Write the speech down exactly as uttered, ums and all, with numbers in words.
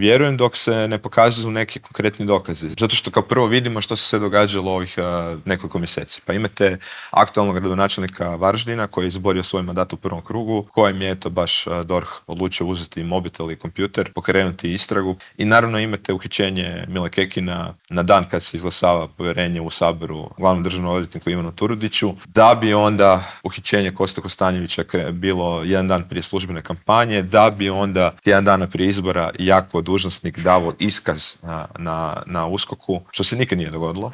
vjerujem dok se ne pokazuju neki konkretni dokazi. Zato što kao prvo vidimo što se sve događalo ovih uh, nekoliko mjeseci. Pa imate aktualnog gradonačelnika Varaždina koji je izborio svoj mandat u prvom krugu, kojem je to baš uh, D O R H odlučio uzeti mobitel i kompjuter, pokrenuti istragu. I naravno imate uhićenje Mile Kekina na dan kad se izglasava povjerenje u Saboru glavnom državnom odvjetniku Ivanu Turudiću, da bi onda uhićenje Koste Kostanjevića bilo jedan dan prije službene kampanje, da bi onda tjedan dana prije izbora jako dužnosnik davo iskaz na, na, na uskoku, što se nikad nije dogodilo.